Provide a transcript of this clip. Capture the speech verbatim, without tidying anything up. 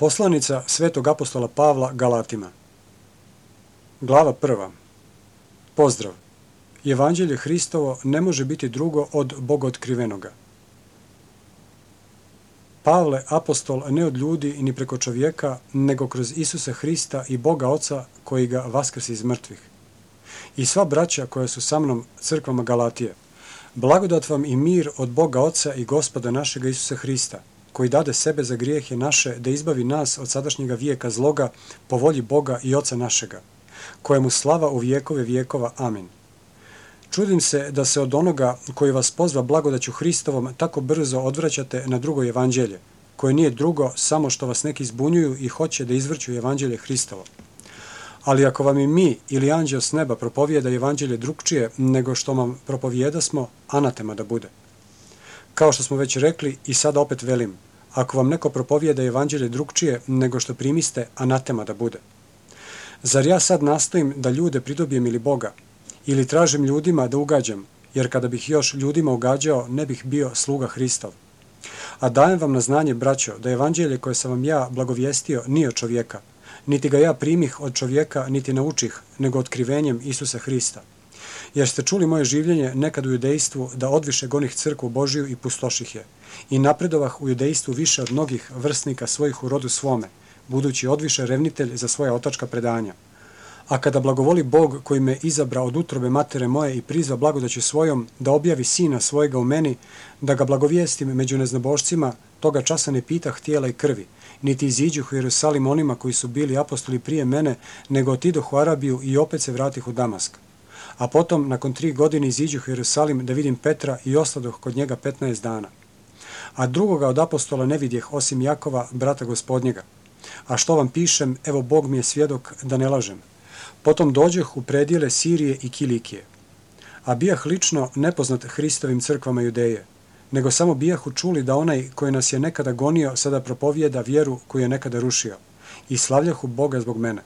Poslanica svetog apostola Pavla Galatima. Glava prva. Pozdrav. Evanđelje Hristovo ne može biti drugo od Bogootkrivenoga. Pavle, apostol, ne od ljudi ni preko čovjeka, nego kroz Isusa Hrista i Boga Oca koji ga vaskrsi iz mrtvih. I sva braća koja su sa mnom crkvama Galatije. Blagodat vam i mir od Boga Oca i Gospoda našega Isusa Hrista, koji dade sebe za grijehe naše da izbavi nas od sadašnjega vijeka zloga po volji Boga i Oca našega, kojemu slava u vijekove vijekova. Amin. Čudim se da se od onoga koji vas pozva blagodaću Hristovom tako brzo odvraćate na drugo evanđelje, koje nije drugo samo što vas neki zbunjuju i hoće da izvrću evanđelje Hristovo. Ali ako vam i mi ili anđeo s neba propovijeda evanđelje drugčije nego što vam propovijedasmo, anatema da bude. Kao što smo već rekli i sada opet velim, ako vam neko propovijeda evanđelje drugčije nego što primiste, anatema da bude. Zar ja sad nastojim da ljude pridobijem ili Boga, ili tražim ljudima da ugađam, jer kada bih još ljudima ugađao, ne bih bio sluga Hristov. A dajem vam na znanje, braćo, da evanđelje koje sam vam ja blagovijestio nije od čovjeka, niti ga ja primih od čovjeka, niti naučih, nego otkrivenjem Isusa Hrista. Jer ste čuli moje življenje nekad u judejstvu da odviše gonih crkvu Božiju i pustoših je, i napredovah u judejstvu više od mnogih vrstnika svojih u rodu svome, budući odviše revnitelj za svoja otačka predanja. A kada blagovoli Bog koji me izabra od utrobe matere moje i prizva blagodaću svojom da objavi sina svojega u meni, da ga blagovijestim među neznabošcima, toga časa ne pitah tijela i krvi, niti iziđuh u Jerusalim onima koji su bili apostoli prije mene, nego otidoh u Arabiju i opet se vratih u Damask. A potom, nakon tri godine, iziđuh u Jerusalim da vidim Petra i ostadoh kod njega petnaest dana. A drugoga od apostola ne vidjeh osim Jakova, brata gospodnjega. A što vam pišem, evo Bog mi je svjedok da ne lažem. Potom dođoh u predjele Sirije i Kilikije. A bijah lično nepoznat Hristovim crkvama Judeje, nego samo bijahu čuli da onaj koji nas je nekada gonio sada propovijeda vjeru koju je nekada rušio, i slavljahu Boga zbog mene.